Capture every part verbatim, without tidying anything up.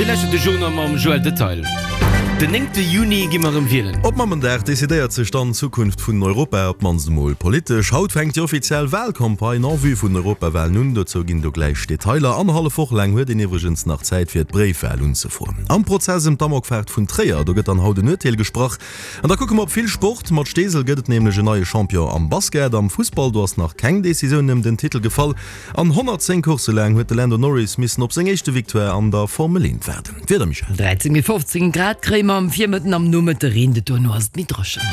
Dir lauschtert de Journal mam Joël Detail. Den néngte Juni gi mer erëm wielen. Op Mammendag decidéiert sech dann d'Zukunft vun Europa, op d'mannst emol politesch. Haut fänkt déi offiziell Walcampagne en vue vun den Europawalen un. Dozou ginn do gläich Detailer. Annerhallef Woch laang huet een iwwregens nach Zäit fir d'Bréifwal unzefroen. Am Prozess ëm d'Amokfaart vun Tréier, do gëtt dann haut en Urteel gesprach. An da kucke mer op vill Sport. Mat Steesel gëtt et nämlech en neie Champion am Basket. Am Fussball, do ass nach keng Decisioun ëm den Titel gefall. An honnertzéng Coursse laang huet de Lando Norris missen op seng éischte Victoire an der Formel eent waarden. D'Wieder, Michèle? dräizéng bis fofzéng Grad kréie mer am Virmëtten, am Nomëtte reent et, dono ass et méi dréchen.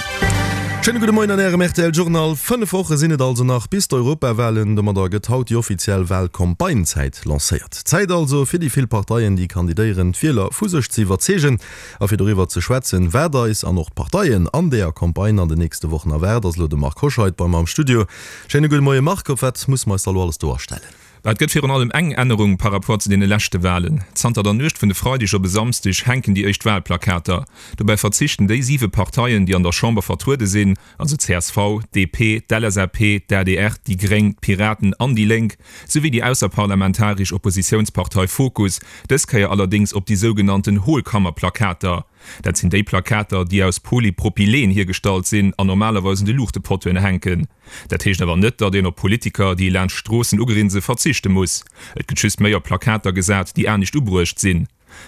Schéine gudde Moien an Ärem R T L Journal. Fënnef Woche sinn et also nach bis d'Europawalen. Domadder gëtt haut déi offiziell Walcampagnezäit lancéiert. Zäit also fir déi vill Parteien, déi kandidéieren, d'Wieler vu sech ze iwwerzeegen. A fir doriwwer ze schwätzen, wat eis an och d'Parteien an deeër Campagne an den nächste Wochen erwaart, ass elo de Marc Hoscheid bei mer am Studio. Schéine gudde Moie Marc, op wat musse mer eis da elo alles do astellen? Et gëtt virun allem eng Ännerung par rapport zu deene leschte Walen. Zanter der Nuecht vun e Freideg op e Samsdeg hänken déi éischt Walplakater. Dobäi verzichten déi siwe Parteien, déi an der Chamber vertruede sinn, also C S V, D P, d'L S A P, d'A D R, déi Gréng, d'Piraten an déi Lénk, souwéi déi ausserparlamentaresch Oppositiounspartei Fokus, dës Kéier allerdéngs op déi sougenannten Hohlkammerplakater. Dat sinn déi Plakater, déi aus Polypropylen hiergestallt sinn an normalerweis un de Luuchtepottoen hänken. Dat heescht awer net, datt een op Politiker, déi laanscht d'Stroossen ugrinse, verzichte muss. Et gëtt just méi op Plakater gesat, déi anescht ubruecht sinn.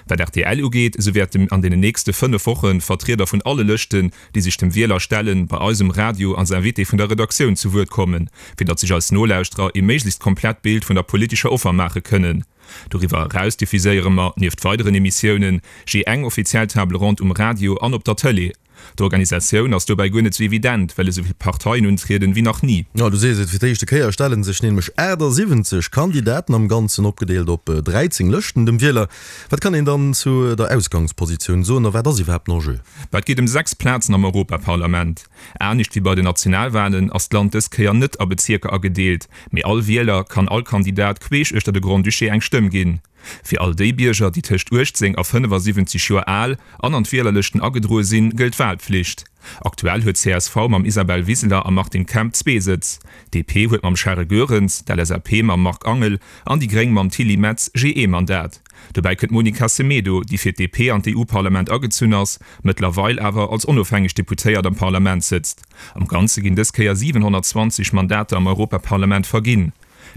Wat R T L ugeet, esou wäerten an deenen nächste fënnef Woche Vertrieder vun alle Lëschten, déi sech dem Wieler stellen, bei eis um Radio als Invité vun der Redaktioun zu Wuert kommen, fir datt sech eis Nolauschterer ee méiglechst komplett Bild vun der politescher Offer maache kënnen. Doriwwer eraus diffuséiere mer, nieft weideren Emissiounen, jee eng offiziell Table ronde um Radio an op der Tëlee. D'Organisatioun ass dobäi guer net sou evident, well esou vill Parteien untrieden wéi nach ni. Jo, du sees et, fir d'éischte Kéier stelle sech nämlech aachtsiwwenzeg Kandidaten, am Ganzen opgedeelt op dräizéng Lëschten, dem Wieler. Wat kann een dann zu der Ausgangspositioun soen a wat ass iwwerhaapt den Enjeu? Et geet ëm sechs Plazen am Europaparlament. Anescht wéi bei den Nationalwalen ass d'Land dës Kéier net a Bezierker agedeelt, mee all Wieler kann all Kandidat queesch uechter de Grand-Duché eng Stëmm ginn. Fir all déi Bierger, déi tëscht uechtzéng a fënnefasiwwenzeg Joer al an an d'Wielerlëschten agedroe sinn, gëllt d'Walpflicht. Aktuell huet C S V mam Isabel Wiseler a Martin Kemp zwee Sëtz. D P huet mam Charel Goerens, d'L S A P mam Marc Angel an déi Gréng mam Tilly Metz jee ee Mandat. Dobäi kënnt d'Monica Semedo, déi fir d'D P an d'E U-Parlament agezunn ass, mëttlerweil awer als onofhängeg Deputéiert am Parlament sëtzt. Am Ganze ginn dës Kéier siwenhonnertzwanzeg Mandater am Europaparlament verginn.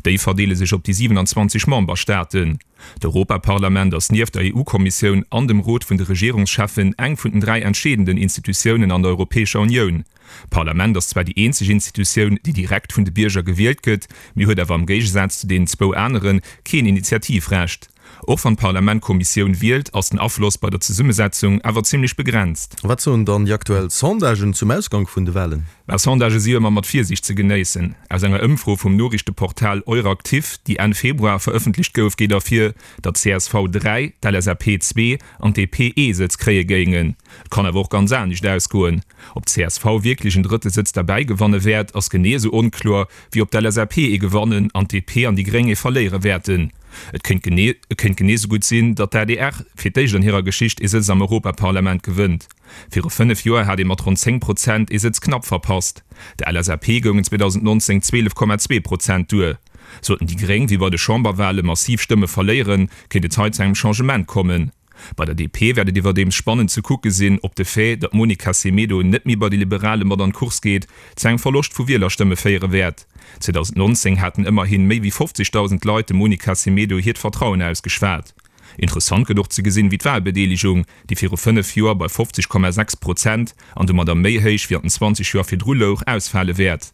Déi verdeele sech op déi siewenanzwanzeg Memberstaaten. D'Europaparlament ass nieft der E U-Kommissioun an dem Rot vun de Regierungscheffen eng vun den dräi entscheedenden Institutiounen an der Europäescher Unioun. D'Parlament ass zwar déi eenzeg Institutioun, déi direkt vun de Bierger gewielt gëtt, mee huet awer am Géigesaz zu deenen zwou anere keen Initiativrecht. Och wann d'Parlament d'Kommissioun wielt, ass den Afloss bei der Zesummesetzung awer zimmlech begrenzt. Wat soen dann déi aktuell Sondagen zum Ausgank vun de Walen? Mä Sondagë si jo ëmmer mat Virsiicht ze genéissen. Aus enger Ëmfro vum Noriichteportal Euractiv, déi Enn Februar verëffentlecht gouf, geet ervir, datt C S V dräi, d'L S A P zwee an d'D P ee Sëtz kréie géingen. Et kann awer och ganz anescht ausgoen. Ob C S V wierklech en drëtte Sëtz derbäi gewanne wäert, ass genee esou onkloer, wéi ob d'L S A P ee gewannen an d'D P an déi Gréng ee verléiere wäerten. Et kéint genee et kéint genee esou gutt sinn, datt d'A D R fir d'éischt an hirer Geschicht ee Sëtz am Europaparlament gewënnt. Viru fënnef Joer hat ee mat ronn zéng Prozent ee Sëtz knapp verpasst. Der L S A P goungen zweedausendnonzéng zwielef Komma zwee Prozent duer. Sollten déi Gréng, wéi bei de Chamberwale massiv Stëmme verléieren, kéint et hei zu engem Changement kommen. Bei der D P wäert et iwwerdeems spannend ze kucke sinn, ob de Fait, datt d'Monica Semedo net méi bei de Liberale mat an d'Course geet, zu engem Verloscht vu Wielerstëmme féiere wäert. zweedausendnonzéng haten ëmmerhi méi wéi fofzegdausend Leit dem Monica Semedo hiert Vertrauen ausgeschwat. Interessant gëtt och ze gesinn, wéi d'Walbedeelegung, déi viru fënnef Joer bei fofzeg Komma sechs Prozent an domadder méi héich wéi an den zwanzeg Joer virdru louch, ausfale wäert.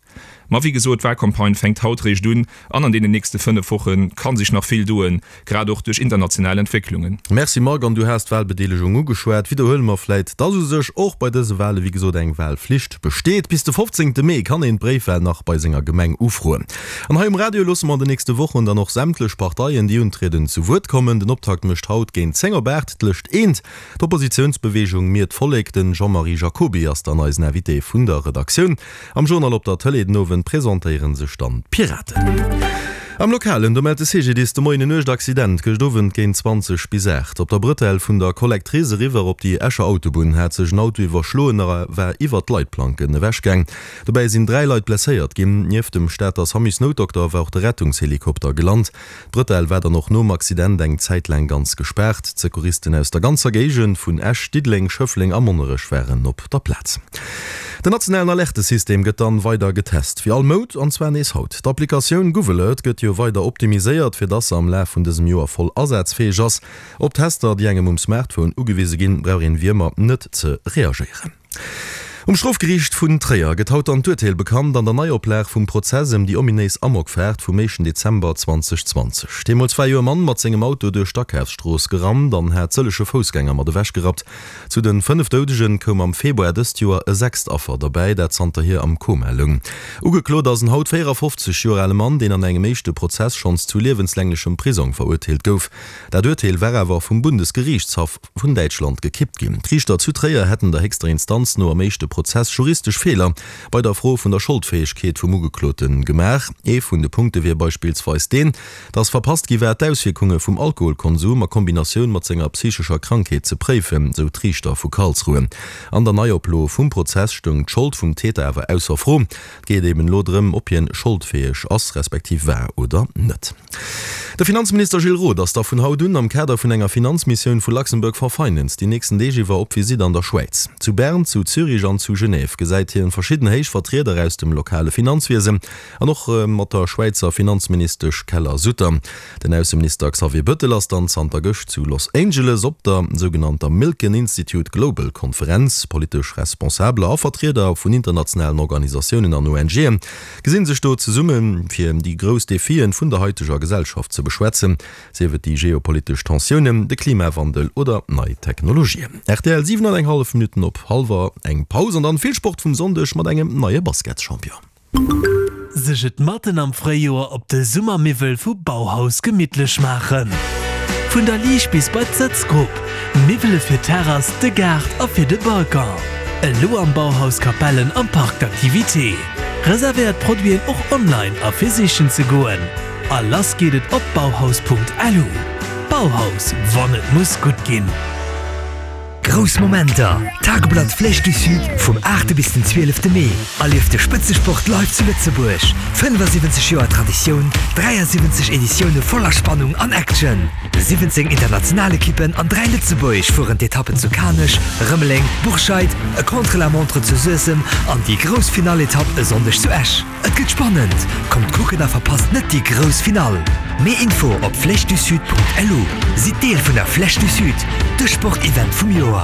Ma wéi gesot, d'Walcampagne fänkt haut réischt un an an deenen nächste fënnef Woche ka sech nach vill doen, grad och duerch international Entwécklungen. Merci Marc, an du has d'Walbedeelegung ugeschwat. Widderhuele mer vläit, dass u sech och bei dëse Wale wéi gesot eng Walflicht besteet. Bis de fofzéngte Mee kann een d'Bréifwal nach bei senger Gemeng ufroen. An hei um Radio loosse mer an den nächste Wochen dann och sämtlech Parteien, déi untrieden, zu Wuert kommen. Den Optakt mécht haut géint zéng op aacht d'Lëscht Eent, d'Oppositiounsbeweegung Mir d'Vollek. Den Jean-Marie Jacoby ass dann eisen Invité vun der Redaktioun. Am Journal op der Tëlee den Owend presentéiere sech dann d'Piraten. Am Lokalen, do mellt de CGDIS de Moien en uergt Accident gëscht Owend géint zwanzeg bis aacht. Op der Brëtell vun der Collectrice eriwwer op déi Escher Autobunn hat sech en Auto iwwerschloen a war iwwert d'Leitplanken ewechgaang. Dobäi sinn dräi Leit blesséiert ginn. Nieft dem Stater Samusnoutdokter war och de Rettungshelikopter gelant. D'Brëtell war dann och nom Accident eng Zäit laang ganz gespaart. D'Secouristen aus der ganzer Géigend vun Esch, Diddeleng, Schëffleng a Monnerech waren op der Plaz. Den nationalen Alertesystem gëtt dann weider getest, wéi all Mount, an zwar nees haut. D'Applikatioun GouvAlert gëtt jo weider optimiséiert, fir dass se am Laf vun dësem Joer voll asazfäeg ass. Op Tester, déi engem um Smartphone ugewise ginn, brauch een wéi ëmmer net ze reagéieren. Um Strofgeriicht vun Tréier gëtt haut dann d'Urteel bekannt an der Neioplag vum Prozess ëm déi ominéis Amokfaart vum éischten Dezember zweedausendzwanzeg. Deemools war jo e Mann mat sengem Auto duerch d'Akafsstrooss gerannt an hat sëllege Foussgänger mat ewechgerappt. Zu de fënnef Doudegen koum am Februar dëst Joer e sechst Affer derbäi, dat zanterhier am Koma loung. Ugeklot ass en haut véierafofzeg Joer ale Mann, deen an engem éischte Prozess schonns zu liewenslänglechem Prisong verurteelt gouf. Dat Urteel war awer vum Bundesgeriichtshaff vun Däitschland gekippt ginn. D'Riichter zu Tréier hätten der héchster Instanz no am éischte Prozess juristesch Feeler bei der Fro vun der Scholdfäegkeet vum Ugeklote gemaach. Ee vun de Punkte wier beispillsweis deen, datt verpasst gi war, d'Auswierkunge vum Alkoholkonsum a Kombinatioun mat senger psychescher Krankheet ze préifen, sou d'Riichter vu Karlsruhe. An der Neioplo vum Prozess stoung d'Schold vum Täter awer ausser Fro. Et geet eben elo drëm, ob hien scholdfäeg ass, respektiv war oder net. De Finanzminister Gilles Roth ass da vun haut un am Kader vun enger Finanzmissioun vu Luxembourg for Finance déi nächsten Deeg iwwer op Visitt an der Schwäiz. Zu Bern, zu Zürich an zu Genève gesäit hien verschidden héich Vertrieder aus dem lokale Finanzwiesen an och mat der Schwäizer Finanzministesch Keller-Sutter. Den Ausseminister Xavier Bëttel ass dann zanter gëscht zu Los Angeles op der sougenannter Milken Institute Global Konferenz. Politesch Responsabeler a Vertrieder vun internationalen Organisatiounen an ONGen gesinn sech do zesumme fir déi grouss Defien vun der haiteger Gesellschaft ze beschwätzen, sief et déi geopolitesch Tensiounen, de Klimawandel oder nei Technologien. Rtl, Siwen an eng hallef Minutten op hallwer eng, Paus an dann vill Sport vum Sonndeg mat engem neie Basketschampion. Sech et matten am Fréijoer op de Summermiwwel vu Bauhaus gemittlech maachen. Vun der Liicht bis bei d'Sëtzgrupp, Miwwele fir d'Terrass, de Gaart a fir de Balcon. Elo am Bauhaus Capellen am Parc d'activités. Reservéiert d'Produiten och online a fir sichen ze goen. A lass geet et op bauhaus.lu. Bauhaus, wann et muss gutt ginn. Grouss Momenter, Tageblatt Flèche du Sud vum aachte bis den zwielefte Mee. Erlieft de Spëtzesport live zu Lëtzebuerg. fënnefasiwwenzeg Joer Traditioun, dräiasiwwenzeg Editioune voller Spannung an Action. siwwenzéng international Ekippen an dräi Lëtzebuerg fueren d'Etappen zu Kanech, Rëmeleng, Bourscheid, e Contre-la-montre zu Suessem an déi grouss Finall-Etapp e Sonndeg zu Esch. Et gëtt spannend! Kommt kucken a verpasst net déi grouss Finall! Méi Info op flèchedusud.lu. Sidd Deel vun der Flèche du Sud, de Sportevent vum Joer!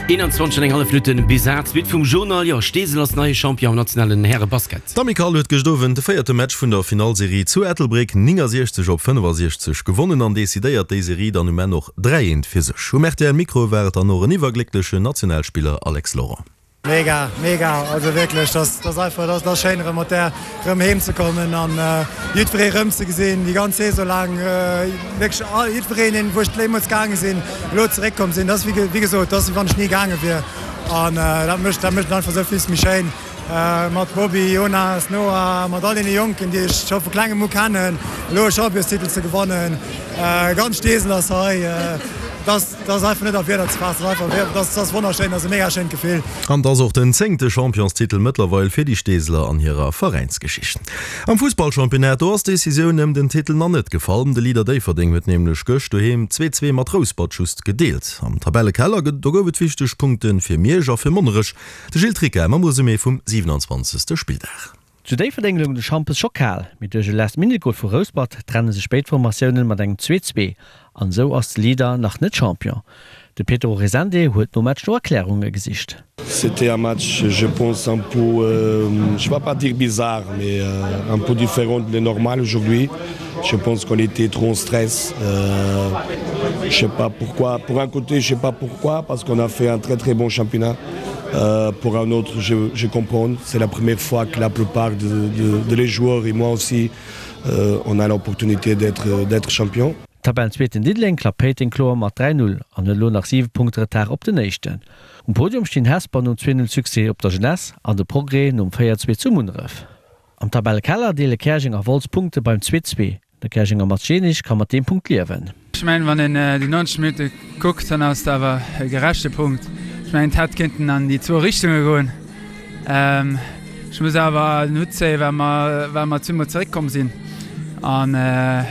eenanzwanzeg an eng hallef Minutten bis aacht, d'Suite vum Journal. Jo, Steesel ass neie Champion am nationalen Härebasket. D'Amicale huet gëscht Owend de véierte Match vun der Finallserie zu Ettelbréck néngasiechzeg op fënnefasiechzeg gewonnen an decidéiert déi Serie dann um Enn och dräi eent fir sech. Um rtl Mikro war et dann och en iwwerglécklechen Nationalspiller Alex Laurent. Mega, mega, also wierklech, dat ass einfach, dat ass schéin erëm mat där erëm heem ze kommen an jiddweree rëm ze gesinn, déi ganz Saison laang, wierklech all, jiddwereen, deen, wou ech deemools gaange sinn, elo zeréckkomm sinn, dat ass wéi, wéi gesot, dat ass wéi wann ech ni gaange wier an dat mécht, dat mécht et einfach esou villes méi schéin mat Bobby, Jonas, Noah, mat all deene Jonken, déi ech scho vu klengem u kennen, elo e Championstitel ze gewannen, ganz Steesel ass hei, dat. Dat ass einfach net a Wierder ze faassen, dat ass einfach, dat ass wonnerschéin, dat ass e mega schéint Gefill. An et ass och den zéngte Championstitel mëttlerweil fir déi Steeseler an hirer Veräinsgeschicht. Am Fussballchampionnat, do ass d'Decisioun ëm den Titel nach net gefall. De Leader Déifferdeng huet nämlech gëscht doheem zwee zwee mat Rouspert just gedeelt. Am Tabellekeller, do gouf et wichteg Punkte fir Miersch a fir Monnerech. De Gilles Tricca mam Resumé vum siwenanzwanzegste Spilldag. Zu Déifferdeng loung de Schampes scho kal, mee duerch e Last-Minute-Gol vu Rouspert trenne sech béid Formatiounen mat engem zwee zwee an esou ass de Leader nach net Champion. De Pedro Resende huet nom Match no Erklärunge gesicht. C'était un match, je pense, un peu, je vais pas dire bizarre, mais un peu différent de normal aujourd'hui. Je pense qu'on était trop en stress. Je sais pas pourquoi. Pour un côté, je sais pas pourquoi, parce qu'on a fait un très très bon championnat. Euh, pour un autre, je, je comprends. C'est la première fois que la plupart de, de, de les joueurs et moi aussi, euh, on a l'opportunité d'être d'être champion. Tabellenzweeten Diddeleng klappt Péiteng kloer mat dräi Null an huet elo nach siwe Punkte Retard op den Éischten. Um Podium stinn Hesper nom zwee Null Succès op der Jeunesse an de Progrès nom véier zwee zu Munneref. Am Tabellekeller deele Käerjeng a Wolz Punkte beim zwee zwee. De Käerjenger Mats Jenisch ka mat deem Punkt liewen. Ech mengen, wann een déi neunzeg Minutte kuckt, dann ass et awer e gerechte Punkt. Ech mengen, et hätt kéinten an déi zwou Richtunge goen. Ech muss awer den Hutt zéien, well mer, well mer zweemol zeréckkomm sinn. An,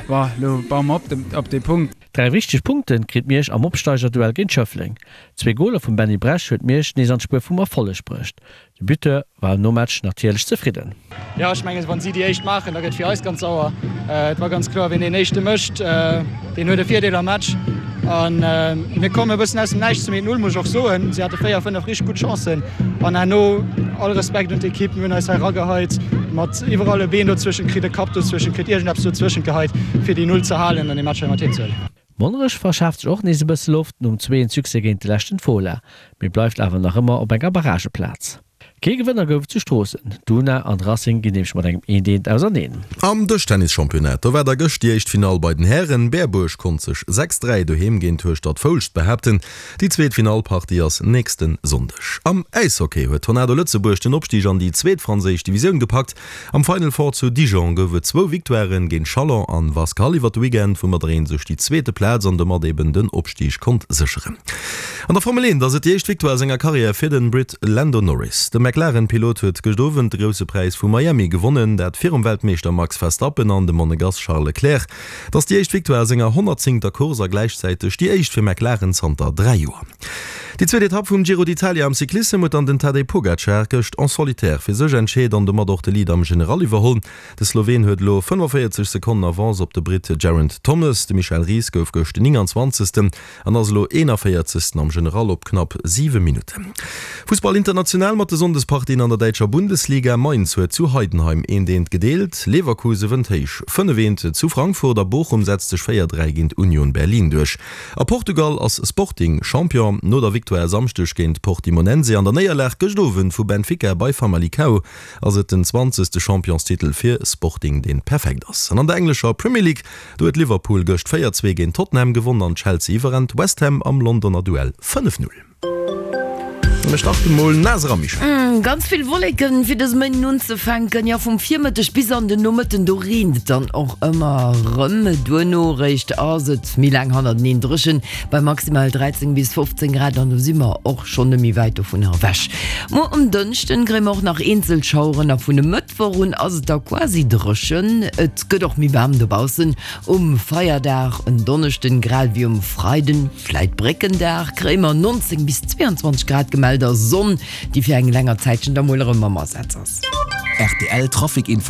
bon, elo baue mer op op dee Punkt. Dräi wichteg Punkte kritt Miersch am Opsteigerduell géint Schëffleng. Zwee Goler vum Benny Bresch huet Miersch nees an d'Spuer vum Erfolleg bruecht. De Buteur war nom Match natierlech zefridden. Jo, ech mengen, wa si déi éischt maachen, da gëtt fir eis ganz sauer. Et war ganz kloer, wien deen éischte mécht, deen huet e Virdeel am Match. A mir kommen e bëssen aus dem Näischt zum eent Null, muss ech och soen. Si hate véier, fënnef richteg gutt Chancen. An herno, all Respekt un d'Ekipp, mir hunn eis hei erageheit mat iwwerall e Been dozwëschent kritt, e Kapp dozwëschent kritt, iergendeppes dozwëschent geheit, fir déi Null ze halen an dee Match hei mat heem ze huelen. Monnerech verschaaft sech och nees e bësse Loft nom zweeën Succès géint de leschten Fola, mee bleift awer nach ëmmer op enger Barrageplaz. Kee Gewënner gouf et zu Stroossen, d'Una an de Racing ginn nämlech mat engem eent eent auserneen. Am Dëschtennis-Championnat, do war da gëscht déi éischt Finall bei den Hären. Berbuerg konnt sech sechs dräi doheem géint Hueschtert-Foulscht behaapten. Déi zweet Finallpartie ass nächste Sonndeg. Am Äishockey huet Tornado Lëtzebuerg den Opstig an déi zweet franséisch Divisioun gepackt. Am Final Four zu Dijon gouf et zwou Victoiren géint Chalon an Wasquehal iwwer de Weekend, woumadder een sech déi zweete Plaz an domat eben den Opstig konnt sécheren. An der Formel eent ass et déi éischt Victoire a senger Karriär fir den Brit Lando Norris. De McLaren-Pilot huet gëscht Owend de Grousse Präis vu Miami gewonnen, dat virum Weltmeeschter Max Verstappen an dem Monegass Charles Leclerc. Et ass déi éischt Victoire a senger honnertzéngter Course a gläichzäiteg déi éischt fir McLaren zanter dräi Joer. Déi zweet Etapp vum Giro d'Italia am Cyclissem huet dann den Tadej Pogacar gëscht en solitaire fir sech entscheet an domat och de Lead am General iwwerholl. De Sloween huet elo fënnefenvéierzeg Sekonnen Avance op de Britt Geraint Thomas. De Michel Ries gouf gëscht nénganzwanzegsten an ass elo eenavéierzegsten am General op knapp siwe Minutten. Fussball international mat de Sonndespartien an der däitscher Bundesliga, Mainz huet zu Heidenheim eent eent gedeelt, Leverkuse wënnt héich fënnef eent zu Frankfurt a Bochum setzt sech véier dräi géint Union Berlin duerch. A Portugal ass Sporting Champion no der Victoire e Samschdeg géint Portimonense an der Néierlag gëscht Owend vu Benfica bei Famalicão ass et den zwanzegste Championstitel fir Sporting deen perfekt ass. An an der englescher Premier League do huet Liverpool gëscht véier zwee géint Tottenham gewonn an Chelsea iwwerrennt West Ham am Londoner Duell fënnef null. Mir starten mol naass era, Michèle. Ganz vill Wolleken fir dëse Méinden unzefänken. Jo, vum Virmëtteg bis an den Nomëtten, do reent et dann och ëmmer erëm. Duerno réischt ass et méi laang hannerteneen dréchen, bei maximal dräizéng bis fofzéng Grad, an do si mer och schonn net méi wäit dovunner ewech. Muer um Dënschden kréie mer och nach eenzel Schaueren a vun e Mëttwoch un ass et da quasi dréchen. Et gëtt och méi waarm dobaussen um Feierdag en Donneschden, grad ewéi um Freiden, vläit Bréckendag, kréie mer nonzéng bis zweeanzwanzeg Grad gemellt a Sonn, déi fir eng länger Zäitchen da mol erëm am Asaz ass. Rtl Trafic Info.